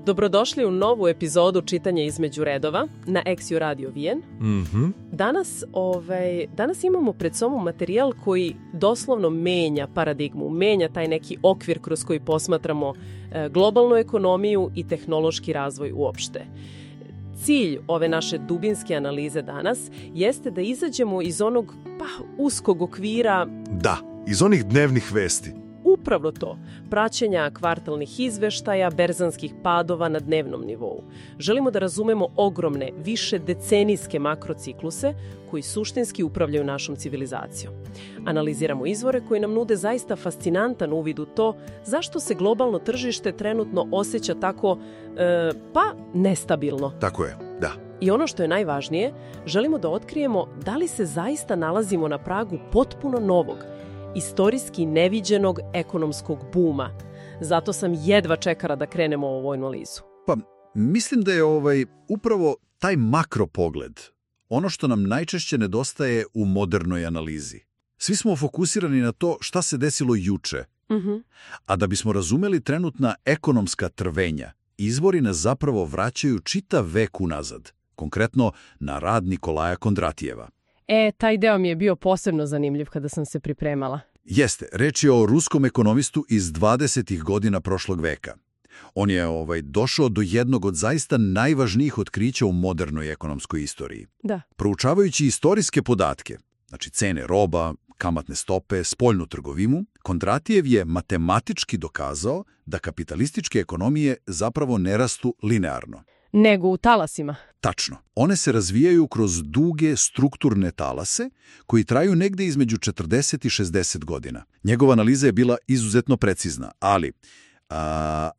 Dobrodošli u novu epizodu Čitanja između redova na Exio Radio Vijen. Danas imamo pred sobom materijal koji doslovno menja paradigmu, menja taj neki okvir kroz koji posmatramo globalnu ekonomiju i tehnološki razvoj uopšte. Cilj ove naše dubinske analize danas jeste da izađemo iz onog uskog okvira... Da, iz onih dnevnih vesti. Upravo to, praćenja kvartalnih izveštaja, berzanskih padova na dnevnom nivou. Želimo da razumemo ogromne, više decenijske makrocikluse koji suštinski upravljaju našom civilizacijom. Analiziramo izvore koji nam nude zaista fascinantan uvid u to zašto se globalno tržište trenutno osjeća tako, nestabilno. Tako je, da. I ono što je najvažnije, želimo da otkrijemo da li se zaista nalazimo na pragu potpuno novog, istorijski neviđenog ekonomskog buma. Zato sam jedva čekala da krenemo u ovu analizu. Pa, mislim da je upravo taj makropogled ono što nam najčešće nedostaje u modernoj analizi. Svi smo fokusirani na to šta se desilo juče. A da bismo razumeli trenutna ekonomska trvenja, izvori nas zapravo vraćaju čitav vek unazad, konkretno na rad Nikolaja Kondratijeva. Taj deo mi je bio posebno zanimljiv kada sam se pripremala. Jeste, reč je o ruskom ekonomistu iz 20. godina prošlog veka. On je došao do jednog od zaista najvažnijih otkrića u modernoj ekonomskoj istoriji. Da. Proučavajući istorijske podatke, znači cene roba, kamatne stope, spoljnu trgovinu, Kondratijev je matematički dokazao da kapitalističke ekonomije zapravo ne rastu linearno. Nego u talasima. Tačno. One se razvijaju kroz duge strukturne talase koji traju negde između 40 i 60 godina. Njegova analiza je bila izuzetno precizna,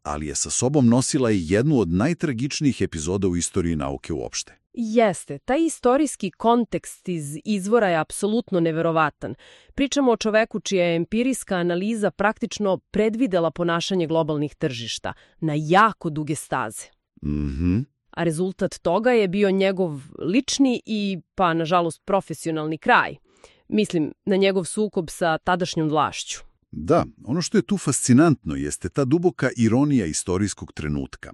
ali je sa sobom nosila i jednu od najtragičnijih epizoda u istoriji nauke uopšte. Jeste, taj istorijski kontekst iz izvora je apsolutno neverovatan. Pričamo o čoveku čija je empirijska analiza praktično predvidela ponašanje globalnih tržišta na jako duge staze. A rezultat toga je bio njegov lični i, nažalost, profesionalni kraj. Mislim, na njegov sukob sa tadašnjom vlašću. Da, ono što je tu fascinantno jeste ta duboka ironija istorijskog trenutka.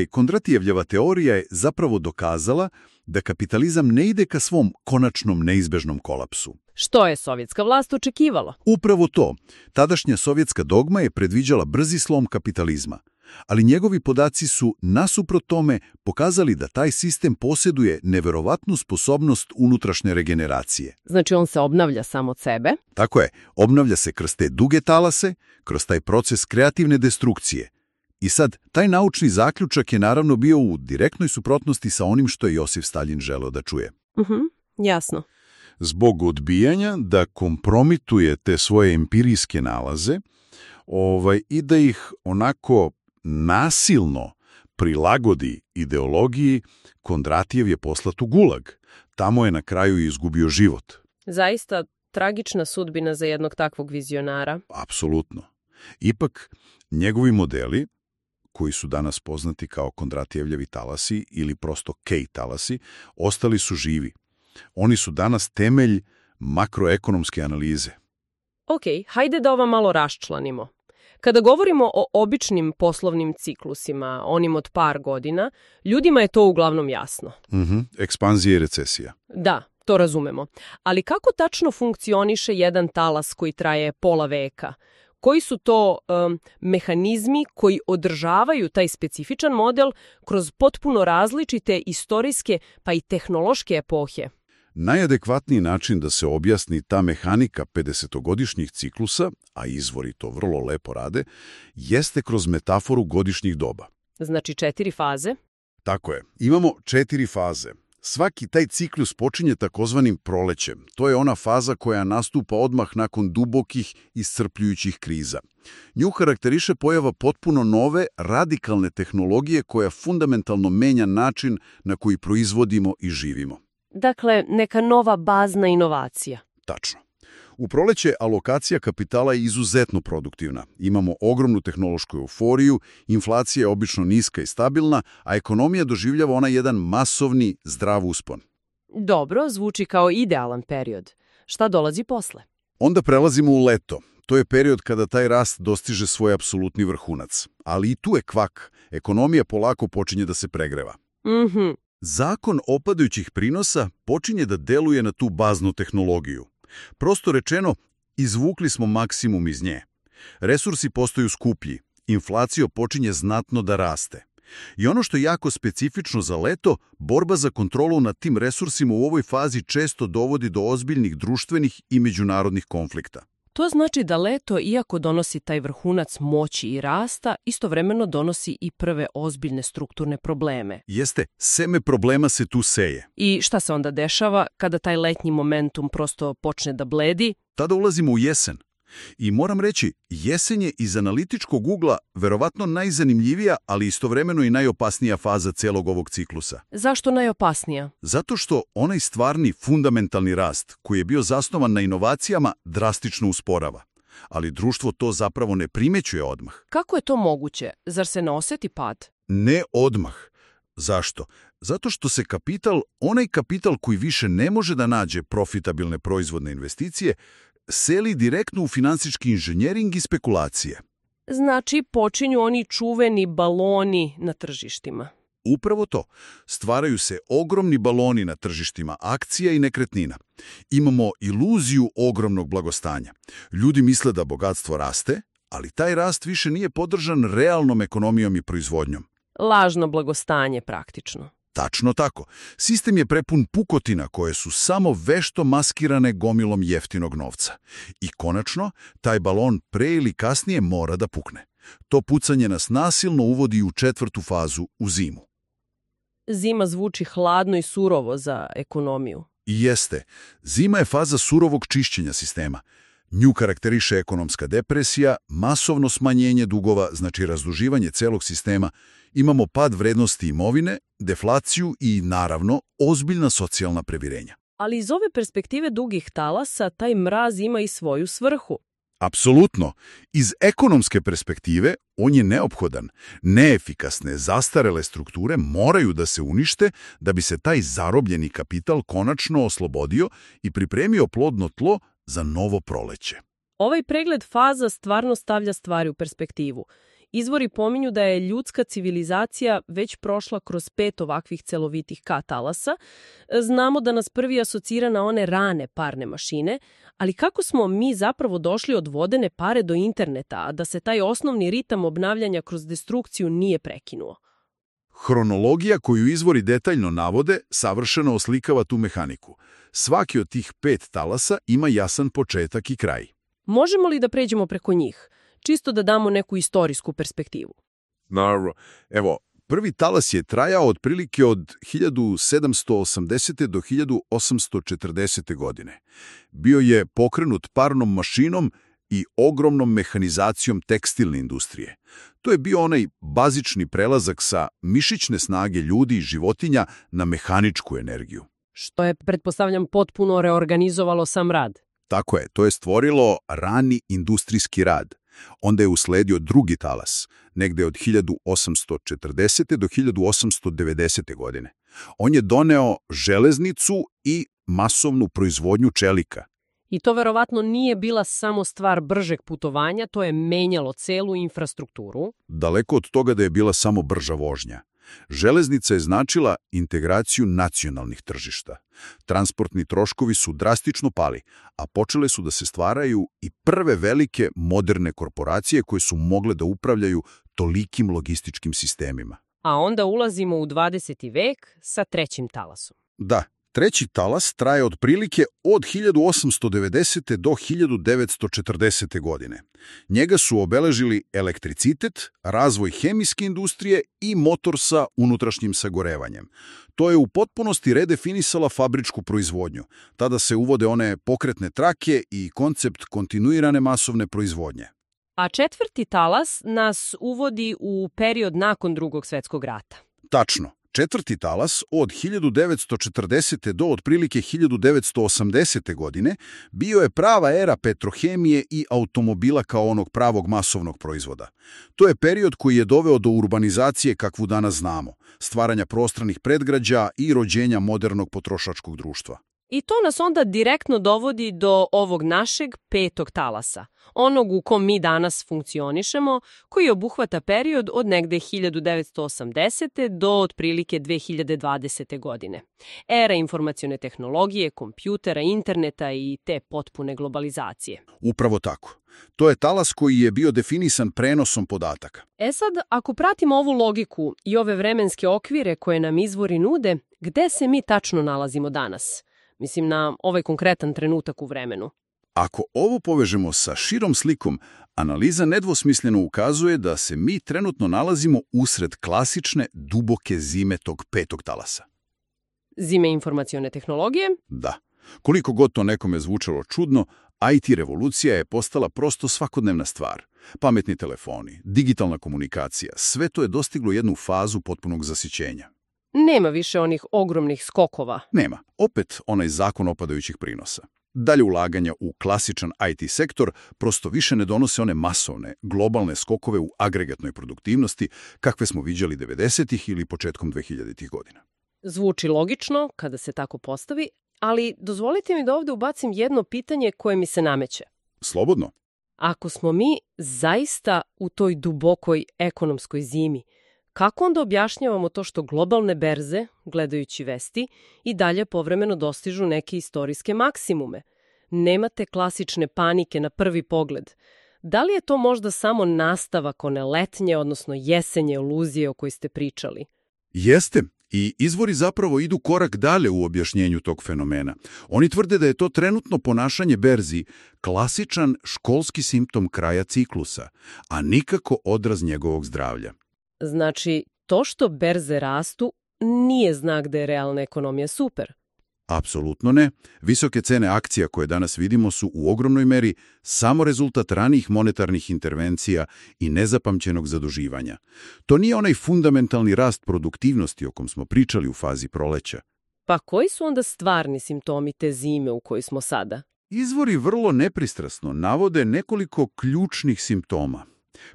Kondratijevljeva teorija je zapravo dokazala da kapitalizam ne ide ka svom konačnom neizbežnom kolapsu. Što je sovjetska vlast očekivala? Upravo to. Tadašnja sovjetska dogma je predviđala brzi slom kapitalizma. Ali njegovi podaci su, nasuprot tome, pokazali da taj sistem posjeduje neverovatnu sposobnost unutrašnje regeneracije. Znači on se obnavlja sam od sebe? Tako je, obnavlja se kroz te duge talase, kroz taj proces kreativne destrukcije. I sad, taj naučni zaključak je naravno bio u direktnoj suprotnosti sa onim što je Josif Stalin želeo da čuje. Jasno. Zbog odbijanja da kompromituje te svoje empirijske nalaze i da ih onako nasilno prilagodi ideologiji, Kondratijev je poslat u Gulag. Tamo je na kraju izgubio život. Zaista tragična sudbina za jednog takvog vizionara. Apsolutno. Ipak, njegovi modeli, koji su danas poznati kao Kondratijevljevi talasi ili prosto Kej talasi, ostali su živi. Oni su danas temelj makroekonomske analize. Ok, hajde da ova malo raščlanimo. Kada govorimo o običnim poslovnim ciklusima, onim od par godina, ljudima je to uglavnom jasno. Ekspanzija i recesija. Da, to razumemo. Ali kako tačno funkcioniše jedan talas koji traje pola veka? Koji su to mehanizmi koji održavaju taj specifičan model kroz potpuno različite istorijske pa i tehnološke epohe? Najadekvatniji način da se objasni ta mehanika 50-godišnjih ciklusa, a izvori to vrlo lepo rade, jeste kroz metaforu godišnjih doba. Znači 4 faze? Tako je. Imamo 4 faze. Svaki taj ciklus počinje takozvanim prolećem. To je ona faza koja nastupa odmah nakon dubokih, iscrpljujućih kriza. Nju karakteriše pojava potpuno nove, radikalne tehnologije koja fundamentalno menja način na koji proizvodimo i živimo. Dakle, neka nova bazna inovacija. Tačno. U proleće alokacija kapitala je izuzetno produktivna. Imamo ogromnu tehnološku euforiju, inflacija je obično niska i stabilna, a ekonomija doživljava onaj jedan masovni, zdrav uspon. Dobro, zvuči kao idealan period. Šta dolazi posle? Onda prelazimo u leto. To je period kada taj rast dostiže svoj apsolutni vrhunac. Ali i tu je kvak. Ekonomija polako počinje da se pregreva. Mhm. Zakon opadajućih prinosa počinje da deluje na tu baznu tehnologiju. Prosto rečeno, izvukli smo maksimum iz nje. Resursi postaju skuplji, inflacija počinje znatno da raste. I ono što je jako specifično za leto, borba za kontrolu nad tim resursima u ovoj fazi često dovodi do ozbiljnih društvenih i međunarodnih konflikta. To znači da leto, iako donosi taj vrhunac moći i rasta, istovremeno donosi i prve ozbiljne strukturne probleme. Jeste, seme problema se tu seje. I šta se onda dešava kada taj letnji momentum prosto počne da bledi? Tada ulazimo u jesen. I moram reći, jesen je iz analitičkog ugla verovatno najzanimljivija, ali istovremeno i najopasnija faza celog ovog ciklusa. Zašto najopasnija? Zato što onaj stvarni fundamentalni rast, koji je bio zasnovan na inovacijama, drastično usporava. Ali društvo to zapravo ne primećuje odmah. Kako je to moguće? Zar se ne osjeti pad? Ne odmah. Zašto? Zato što se onaj kapital koji više ne može da nađe profitabilne proizvodne investicije, seli direktno u finansijski inženjering i spekulacije. Znači, počinju oni čuveni baloni na tržištima. Upravo to. Stvaraju se ogromni baloni na tržištima akcija i nekretnina. Imamo iluziju ogromnog blagostanja. Ljudi misle da bogatstvo raste, ali taj rast više nije podržan realnom ekonomijom i proizvodnjom. Lažno blagostanje praktično. Tačno tako. Sistem je prepun pukotina koje su samo vešto maskirane gomilom jeftinog novca. I konačno, taj balon pre ili kasnije mora da pukne. To pucanje nas nasilno uvodi u četvrtu fazu, u zimu. Zima zvuči hladno i surovo za ekonomiju. I jeste. Zima je faza surovog čišćenja sistema. Nju karakteriše ekonomska depresija, masovno smanjenje dugova, znači razduživanje celog sistema, imamo pad vrednosti imovine, deflaciju i, naravno, ozbiljna socijalna previrenja. Ali iz ove perspektive dugih talasa, taj mraz ima i svoju svrhu. Apsolutno. Iz ekonomske perspektive on je neophodan. Neefikasne, zastarele strukture moraju da se unište da bi se taj zarobljeni kapital konačno oslobodio i pripremio plodno tlo za novo proleće. Ovaj pregled faza stvarno stavlja stvari u perspektivu. Izvori pominju da je ljudska civilizacija već prošla kroz 5 ovakvih celovitih K-talasa. Znamo da nas prvi asocira na one rane parne mašine, ali kako smo mi zapravo došli od vodene pare do interneta, a da se taj osnovni ritam obnavljanja kroz destrukciju nije prekinuo? Hronologija koju izvori detaljno navode savršeno oslikava tu mehaniku. Svaki od tih 5 talasa ima jasan početak i kraj. Možemo li da pređemo preko njih? Čisto da damo neku istorijsku perspektivu. Naravno. Evo, prvi talas je trajao otprilike od 1780. do 1840. godine. Bio je pokrenut parnom mašinom i ogromnom mehanizacijom tekstilne industrije. To je bio onaj bazični prelazak sa mišićne snage ljudi i životinja na mehaničku energiju. Što je, pretpostavljam, potpuno reorganizovalo sam rad. Tako je, to je stvorilo rani industrijski rad. Onda je usledio drugi talas, negde od 1840. do 1890. godine. On je doneo železnicu i masovnu proizvodnju čelika. I to verovatno nije bila samo stvar bržeg putovanja, to je menjalo celu infrastrukturu. Daleko od toga da je bila samo brža vožnja. Železnica je značila integraciju nacionalnih tržišta. Transportni troškovi su drastično pali, a počele su da se stvaraju i prve velike moderne korporacije koje su mogle da upravljaju tolikim logističkim sistemima. A onda ulazimo u 20. vek sa trećim talasom. Da, treći talas traje otprilike od 1890. do 1940. godine. Njega su obeležili elektricitet, razvoj hemijske industrije i motor sa unutrašnjim sagorevanjem. To je u potpunosti redefinisala fabričku proizvodnju. Tada se uvode one pokretne trake i koncept kontinuirane masovne proizvodnje. A četvrti talas nas uvodi u period nakon Drugog svjetskog rata. Tačno. Četvrti talas od 1940. do otprilike 1980. godine bio je prava era petrohemije i automobila kao onog pravog masovnog proizvoda. To je period koji je doveo do urbanizacije kakvu danas znamo, stvaranja prostranih predgrađa i rođenja modernog potrošačkog društva. I to nas onda direktno dovodi do ovog našeg petog talasa, onog u kom mi danas funkcionišemo, koji obuhvata period od negde 1980. do otprilike 2020. godine. Era informacione tehnologije, kompjutera, interneta i te potpune globalizacije. Upravo tako. To je talas koji je bio definisan prenosom podataka. Sad, ako pratimo ovu logiku i ove vremenske okvire koje nam izvori nude, gde se mi tačno nalazimo danas? Mislim na ovaj konkretan trenutak u vremenu. Ako ovo povežemo sa širom slikom, analiza nedvosmisleno ukazuje da se mi trenutno nalazimo usred klasične, duboke zime tog petog talasa. Zime informacione tehnologije? Da. Koliko god to nekome zvučalo čudno, IT revolucija je postala prosto svakodnevna stvar. Pametni telefoni, digitalna komunikacija, sve to je dostiglo jednu fazu potpunog zasićenja. Nema više onih ogromnih skokova. Nema. Opet onaj zakon opadajućih prinosa. Dalje ulaganja u klasičan IT sektor prosto više ne donose one masovne, globalne skokove u agregatnoj produktivnosti kakve smo viđali 90-ih ili početkom 2000-ih godina. Zvuči logično kada se tako postavi, ali dozvolite mi da ovdje ubacim jedno pitanje koje mi se nameće. Slobodno. Ako smo mi zaista u toj dubokoj ekonomskoj zimi, kako onda objašnjavamo to što globalne berze, gledajući vesti, i dalje povremeno dostižu neke istorijske maksimume? Nemate klasične panike na prvi pogled. Da li je to možda samo nastavak one letnje, odnosno jesenje iluzije o kojoj ste pričali? Jeste. I izvori zapravo idu korak dalje u objašnjenju tog fenomena. Oni tvrde da je to trenutno ponašanje berzi klasičan školski simptom kraja ciklusa, a nikako odraz njegovog zdravlja. Znači, to što berze rastu nije znak da je realna ekonomija super. Apsolutno ne. Visoke cene akcija koje danas vidimo su u ogromnoj meri samo rezultat ranijih monetarnih intervencija i nezapamćenog zaduživanja. To nije onaj fundamentalni rast produktivnosti o kom smo pričali u fazi proleća. Pa koji su onda stvarni simptomi te zime u kojoj smo sada? Izvori vrlo nepristrasno navode nekoliko ključnih simptoma.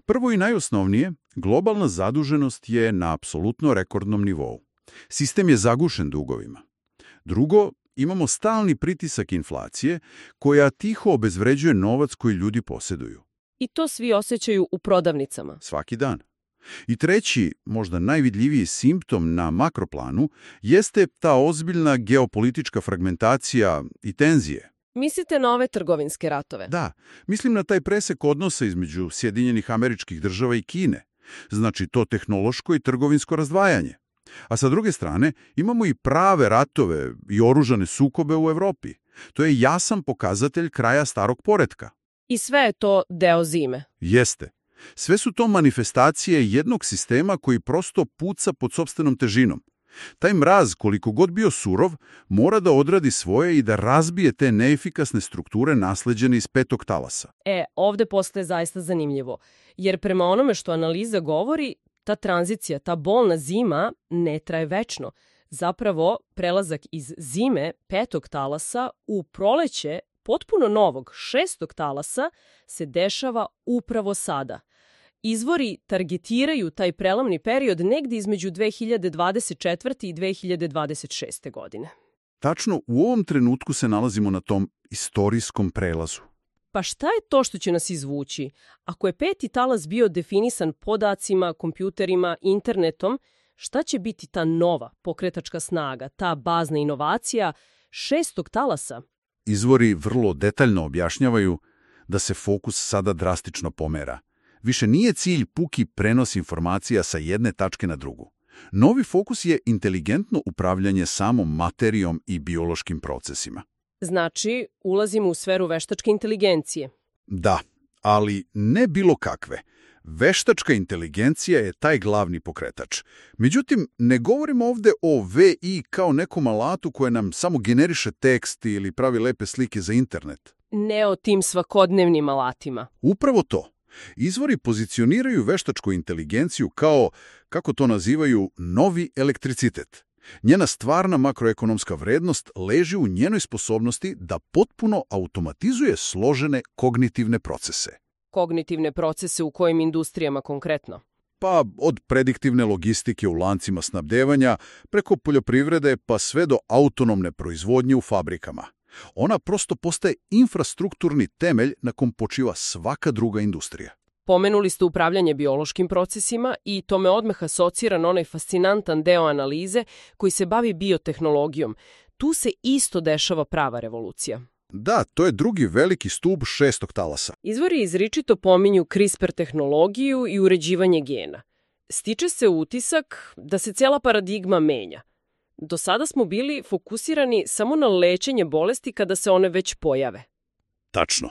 Prvo i najosnovnije, globalna zaduženost je na apsolutno rekordnom nivou. Sistem je zagušen dugovima. Drugo, imamo stalni pritisak inflacije koja tiho obezvređuje novac koji ljudi posjeduju. I to svi osjećaju u prodavnicama. Svaki dan. I treći, možda najvidljiviji simptom na makroplanu, jeste ta ozbiljna geopolitička fragmentacija i tenzije. Mislite na ove trgovinske ratove? Da, mislim na taj presek odnosa između Sjedinjenih Američkih Država i Kine. Znači to tehnološko i trgovinsko razdvajanje. A sa druge strane, imamo i prave ratove i oružane sukobe u Evropi. To je jasan pokazatelj kraja starog poretka. I sve je to deo zime. Jeste. Sve su to manifestacije jednog sistema koji prosto puca pod sopstvenom težinom. Taj mraz, koliko god bio surov, mora da odradi svoje i da razbije te neefikasne strukture nasleđene iz petog talasa. Ovdje postaje zaista zanimljivo. Jer prema onome što analiza govori, ta tranzicija, ta bolna zima ne traje večno. Zapravo, prelazak iz zime petog talasa u proleće potpuno novog šestog talasa se dešava upravo sada. Izvori targetiraju taj prelamni period negdje između 2024. i 2026. godine. Tačno, u ovom trenutku se nalazimo na tom istorijskom prelazu. Pa šta je to što će nas izvući? Ako je peti talas bio definisan podacima, kompjuterima, internetom, šta će biti ta nova pokretačka snaga, ta bazna inovacija šestog talasa? Izvori vrlo detaljno objašnjavaju da se fokus sada drastično pomera. Više nije cilj puki prenos informacija sa jedne tačke na drugu. Novi fokus je inteligentno upravljanje samom materijom i biološkim procesima. Znači, ulazimo u sferu veštačke inteligencije. Da, ali ne bilo kakve. Veštačka inteligencija je taj glavni pokretač. Međutim, ne govorimo ovdje o VI kao nekom alatu koje nam samo generiše tekst ili pravi lepe slike za internet. Ne o tim svakodnevnim alatima. Upravo to. Izvori pozicioniraju veštačku inteligenciju kao, kako to nazivaju, novi elektricitet. Njena stvarna makroekonomska vrednost leži u njenoj sposobnosti da potpuno automatizuje složene kognitivne procese. Kognitivne procese u kojim industrijama konkretno? Pa od prediktivne logistike u lancima snabdevanja, preko poljoprivrede pa sve do autonomne proizvodnje u fabrikama. Ona prosto postaje infrastrukturni temelj na kom počiva svaka druga industrija. Pomenuli ste upravljanje biološkim procesima i to me odmah asocira na onaj fascinantan deo analize koji se bavi biotehnologijom. Tu se isto dešava prava revolucija. Da, to je drugi veliki stub šestog talasa. Izvori izričito pominju CRISPR tehnologiju i uređivanje gena. Stiče se utisak da se cijela paradigma menja. Do sada smo bili fokusirani samo na lečenje bolesti kada se one već pojave. Tačno.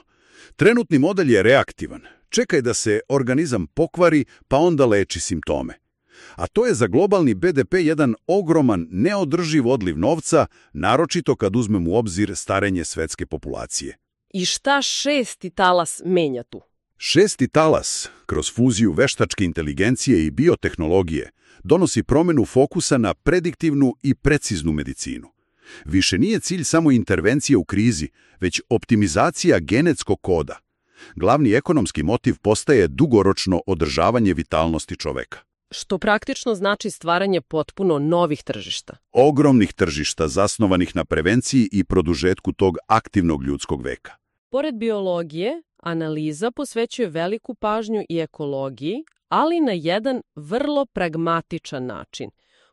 Trenutni model je reaktivan. Čekaj da se organizam pokvari, pa onda leči simptome. A to je za globalni BDP jedan ogroman, neodrživ odliv novca, naročito kad uzmemo u obzir starenje svetske populacije. I šta šesti talas menja tu? Šesti talas, kroz fuziju veštačke inteligencije i biotehnologije, donosi promjenu fokusa na prediktivnu i preciznu medicinu. Više nije cilj samo intervencija u krizi, već optimizacija genetskog koda. Glavni ekonomski motiv postaje dugoročno održavanje vitalnosti čoveka. Što praktično znači stvaranje potpuno novih tržišta. Ogromnih tržišta zasnovanih na prevenciji i produžetku tog aktivnog ljudskog veka. Pored biologije, analiza posvećuje veliku pažnju i ekologiji, ali na jedan vrlo pragmatičan način.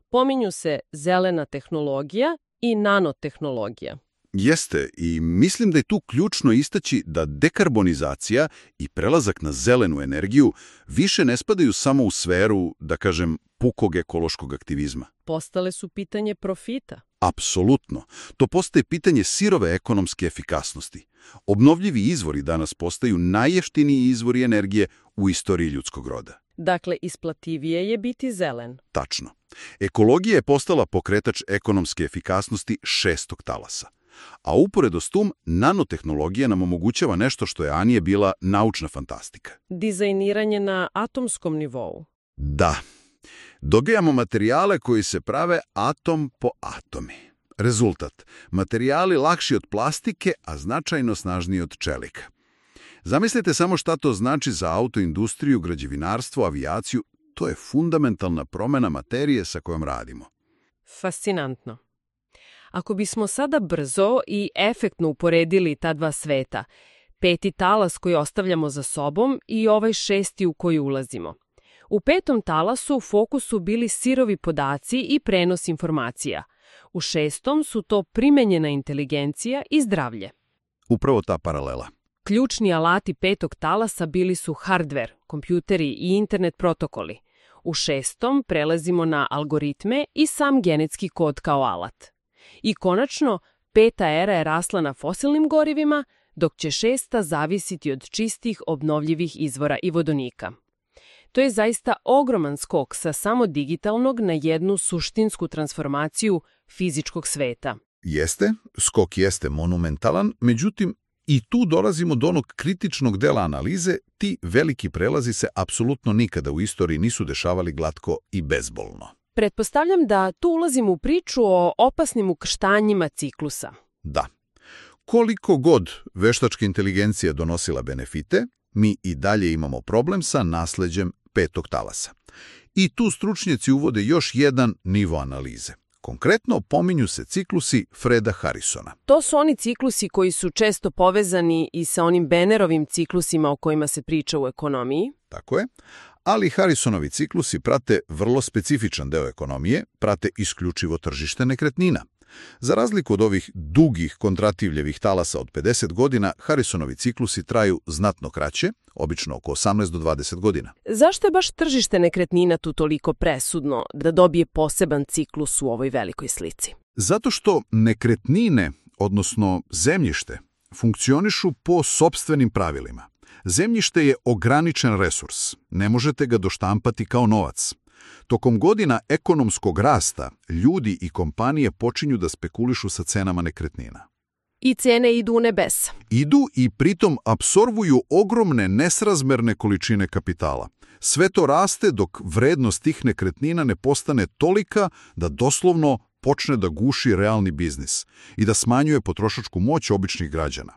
Pominju se zelena tehnologija i nanotehnologija. Jeste, i mislim da je tu ključno istaći da dekarbonizacija i prelazak na zelenu energiju više ne spadaju samo u sferu, da kažem, pukog ekološkog aktivizma. Postale su pitanje profita. Apsolutno. To postaje pitanje sirove ekonomske efikasnosti. Obnovljivi izvori danas postaju najjeftiniji izvori energije u istoriji ljudskog roda. Dakle, isplativije je biti zelen. Tačno. Ekologija je postala pokretač ekonomske efikasnosti šestog talasa. A uporedo s tom, nanotehnologija nam omogućava nešto što je ranije bila naučna fantastika. Dizajniranje na atomskom nivou. Da. Dobijamo materijale koji se prave atom po atomi. Rezultat. Materijali lakši od plastike, a značajno snažniji od čelika. Zamislite samo šta to znači za autoindustriju, građevinarstvo, avijaciju. To je fundamentalna promjena materije sa kojom radimo. Fascinantno. Ako bismo sada brzo i efektno uporedili ta dva sveta, peti talas koji ostavljamo za sobom i ovaj šesti u koji ulazimo. U petom talasu u fokusu bili sirovi podaci i prenos informacija. U šestom su to primenjena inteligencija i zdravlje. Upravo ta paralela. Ključni alati petog talasa bili su hardver, kompjuteri i internet protokoli. U šestom prelazimo na algoritme i sam genetski kod kao alat. I konačno, peta era je rasla na fosilnim gorivima, dok će šesta zavisiti od čistih obnovljivih izvora i vodonika. To je zaista ogroman skok sa samo digitalnog na jednu suštinsku transformaciju fizičkog sveta. Jeste, skok jeste monumentalan, međutim, i tu dolazimo do onog kritičnog dela analize, ti veliki prelazi se apsolutno nikada u istoriji nisu dešavali glatko i bezbolno. Pretpostavljam da tu ulazimo u priču o opasnim ukrštanjima ciklusa. Da. Koliko god veštačka inteligencija donosila benefite, mi i dalje imamo problem sa nasleđem petog talasa. I tu stručnjaci uvode još jedan nivo analize. Konkretno pominju se ciklusi Freda Harrisona. To su oni ciklusi koji su često povezani i sa onim Bennerovim ciklusima o kojima se priča u ekonomiji. Tako je. Ali Harrisonovi ciklusi prate vrlo specifičan deo ekonomije, prate isključivo tržište nekretnina. Za razliku od ovih dugih kontrativljevih talasa od 50 godina, Harrisonovi ciklusi traju znatno kraće, obično oko 18 do 20 godina. Zašto je baš tržište nekretnina tu toliko presudno da dobije poseban ciklus u ovoj velikoj slici? Zato što nekretnine, odnosno zemljište, funkcionišu po sopstvenim pravilima. Zemljište je ograničen resurs, ne možete ga doštampati kao novac. Tokom godina ekonomskog rasta, ljudi i kompanije počinju da spekulišu sa cenama nekretnina. I cene idu u nebesa. Idu i pritom apsorbuju ogromne nesrazmerne količine kapitala. Sve to raste dok vrednost tih nekretnina ne postane tolika da doslovno počne da guši realni biznis i da smanjuje potrošačku moć običnih građana.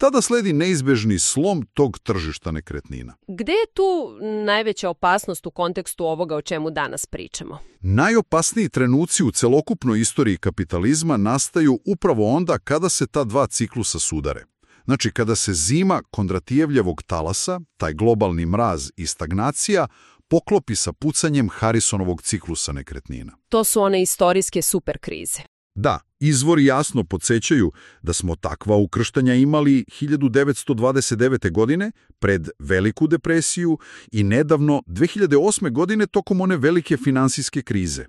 tada sledi neizbežni slom tog tržišta nekretnina. Gde je tu najveća opasnost u kontekstu ovoga o čemu danas pričamo? Najopasniji trenuci u celokupnoj istoriji kapitalizma nastaju upravo onda kada se ta dva ciklusa sudare. Znači, kada se zima Kondratijevljevog talasa, taj globalni mraz i stagnacija, poklopi sa pucanjem Harrisonovog ciklusa nekretnina. To su one istorijske superkrize. Da, izvori jasno podsjećaju da smo takva ukrštanja imali 1929. godine pred Veliku depresiju i nedavno 2008. godine tokom one velike finansijske krize.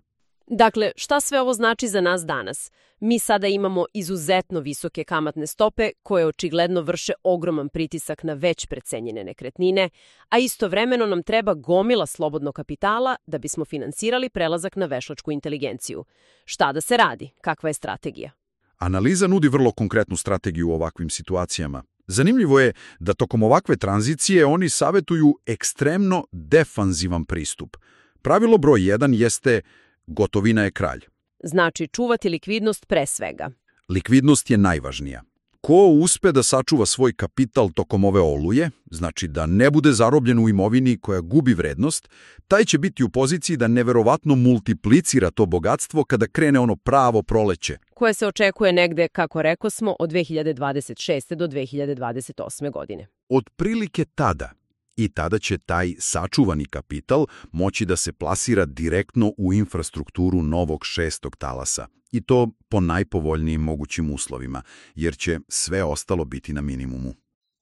Dakle, šta sve ovo znači za nas danas? Mi sada imamo izuzetno visoke kamatne stope koje očigledno vrše ogroman pritisak na već precenjene nekretnine, a istovremeno nam treba gomila slobodnog kapitala da bismo finansirali prelazak na veštačku inteligenciju. Šta da se radi? Kakva je strategija? Analiza nudi vrlo konkretnu strategiju u ovakvim situacijama. Zanimljivo je da tokom ovakve tranzicije oni savjetuju ekstremno defanzivan pristup. Pravilo broj 1 jeste gotovina je kralj. Znači, čuvati likvidnost pre svega. Likvidnost je najvažnija. Ko uspe da sačuva svoj kapital tokom ove oluje, znači da ne bude zarobljen u imovini koja gubi vrednost, taj će biti u poziciji da neverovatno multiplicira to bogatstvo kada krene ono pravo proleće. Koje se očekuje negde, kako rekosmo, od 2026. do 2028. godine. Otprilike tada. I tada će taj sačuvani kapital moći da se plasira direktno u infrastrukturu novog šestog talasa. I to po najpovoljnijim mogućim uslovima, jer će sve ostalo biti na minimumu.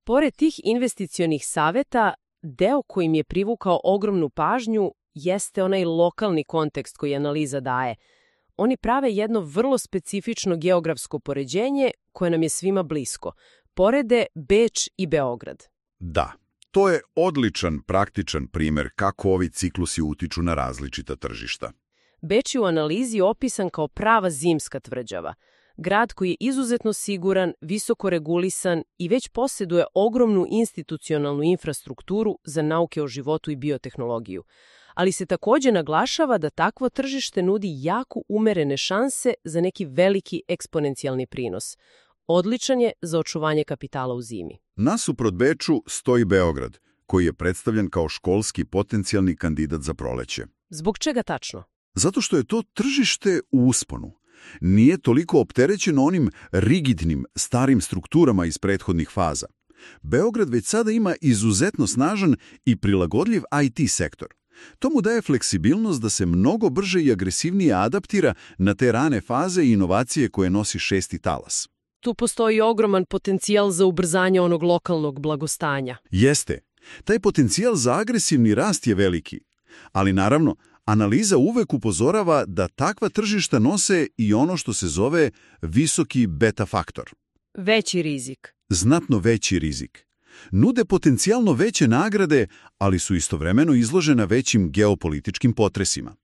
Pored tih investicionih saveta, deo kojim je privukao ogromnu pažnju jeste onaj lokalni kontekst koji analiza daje. Oni prave jedno vrlo specifično geografsko poređenje koje nam je svima blisko. Porede Beč i Beograd. Da. To je odličan, praktičan primjer kako ovi ciklusi utiču na različita tržišta. Beč je u analizi opisan kao prava zimska tvrđava. Grad koji je izuzetno siguran, visoko regulisan i već posjeduje ogromnu institucionalnu infrastrukturu za nauke o životu i biotehnologiju. Ali se također naglašava da takvo tržište nudi jako umerene šanse za neki veliki eksponencijalni prinos. Odličan je za očuvanje kapitala u zimi. Nasuprot Beču stoji Beograd, koji je predstavljen kao školski potencijalni kandidat za proleće. Zbog čega tačno? Zato što je to tržište u usponu. Nije toliko opterećeno onim rigidnim, starim strukturama iz prethodnih faza. Beograd već sada ima izuzetno snažan i prilagodljiv IT sektor. To mu daje fleksibilnost da se mnogo brže i agresivnije adaptira na te rane faze i inovacije koje nosi šesti talas. Tu postoji ogroman potencijal za ubrzanje onog lokalnog blagostanja. Jeste. Taj potencijal za agresivni rast je veliki. Ali naravno, analiza uvek upozorava da takva tržišta nose i ono što se zove visoki beta faktor. Veći rizik. Znatno veći rizik. Nude potencijalno veće nagrade, ali su istovremeno izložena većim geopolitičkim potresima.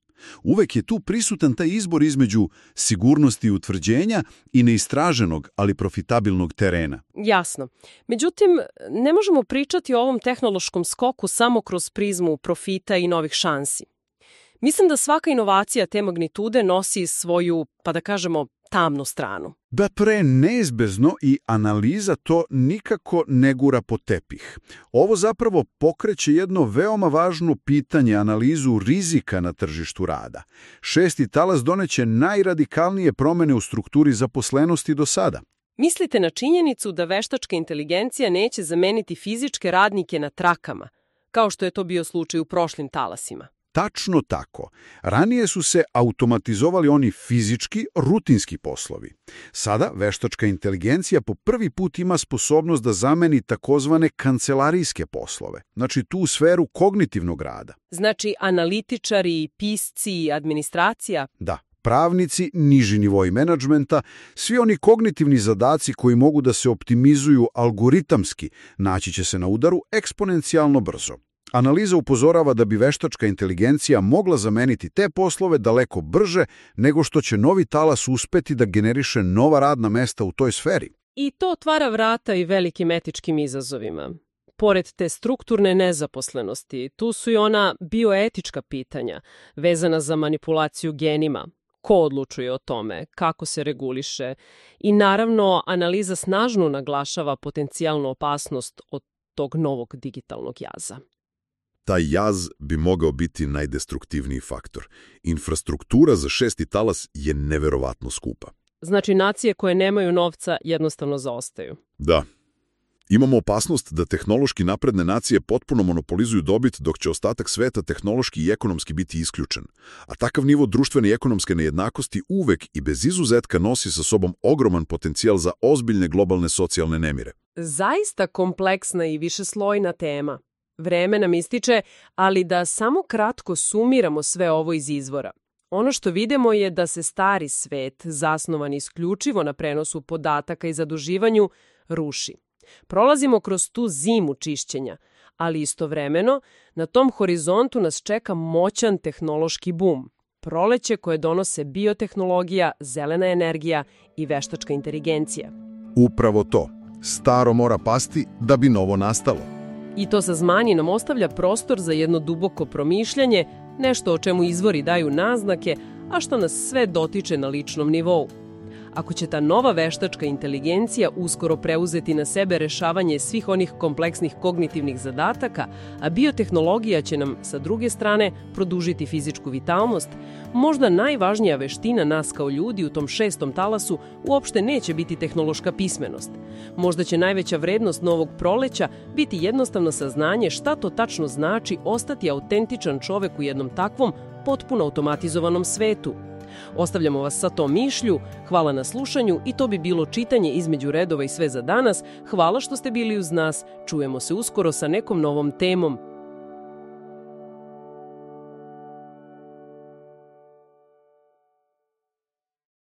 Uvek je tu prisutan taj izbor između sigurnosti utvrđenja i neistraženog, ali profitabilnog terena. Jasno. Međutim, ne možemo pričati o ovom tehnološkom skoku samo kroz prizmu profita i novih šansi. Mislim da svaka inovacija te magnitude nosi svoju, pa da kažemo, tamnu stranu. Da pre neizbezno i analiza to nikako ne gura pod tepih. Ovo zapravo pokreće jedno veoma važno pitanje, analizu rizika na tržištu rada. Šesti talas doneće najradikalnije promjene u strukturi zaposlenosti do sada. Mislite na činjenicu da veštačka inteligencija neće zameniti fizičke radnike na trakama, kao što je to bio slučaj u prošlim talasima? Tačno tako. Ranije su se automatizovali oni fizički, rutinski poslovi. Sada veštačka inteligencija po prvi put ima sposobnost da zameni takozvane kancelarijske poslove, znači tu sferu kognitivnog rada. Znači analitičari, pisci, administracija? Da. Pravnici, niži nivoi menadžmenta, svi oni kognitivni zadaci koji mogu da se optimizuju algoritamski, naći će se na udaru eksponencijalno brzo. Analiza upozorava da bi veštačka inteligencija mogla zameniti te poslove daleko brže nego što će novi talas uspeti da generiše nova radna mesta u toj sferi. I to otvara vrata i velikim etičkim izazovima. Pored te strukturne nezaposlenosti, tu su i ona bioetička pitanja, vezana za manipulaciju genima. Ko odlučuje o tome, kako se reguliše i naravno analiza snažno naglašava potencijalnu opasnost od tog novog digitalnog jaza. Taj jaz bi mogao biti najdestruktivniji faktor. Infrastruktura za 6. talas je neverovatno skupa. Znači, nacije koje nemaju novca jednostavno zaostaju. Da. Imamo opasnost da tehnološki napredne nacije potpuno monopolizuju dobit, dok će ostatak sveta tehnološki i ekonomski biti isključen. A takav nivo društvene i ekonomske nejednakosti uvek i bez izuzetka nosi sa sobom ogroman potencijal za ozbiljne globalne socijalne nemire. Zaista kompleksna i višeslojna tema. Vreme nam ističe, ali da samo kratko sumiramo sve ovo iz izvora. Ono što vidimo je da se stari svet, zasnovan isključivo na prenosu podataka i zaduživanju, ruši. Prolazimo kroz tu zimu čišćenja, ali istovremeno na tom horizontu nas čeka moćan tehnološki bum. Proleće koje donose biotehnologija, zelena energija i veštačka inteligencija. Upravo to. Staro mora pasti da bi novo nastalo. I to saznanje nam ostavlja prostor za jedno duboko promišljanje, nešto o čemu izvori daju naznake, a što nas sve dotiče na ličnom nivou. Ako će ta nova veštačka inteligencija uskoro preuzeti na sebe rešavanje svih onih kompleksnih kognitivnih zadataka, a biotehnologija će nam, sa druge strane, produžiti fizičku vitalnost, možda najvažnija veština nas kao ljudi u tom 6. talasu uopšte neće biti tehnološka pismenost. Možda će najveća vrednost novog proleća biti jednostavno saznanje šta to tačno znači ostati autentičan čovek u jednom takvom, potpuno automatizovanom svetu. Ostavljamo vas sa tom mišlju, hvala na slušanju i to bi bilo čitanje između redova i sve za danas. Hvala što ste bili uz nas, čujemo se uskoro sa nekom novom temom.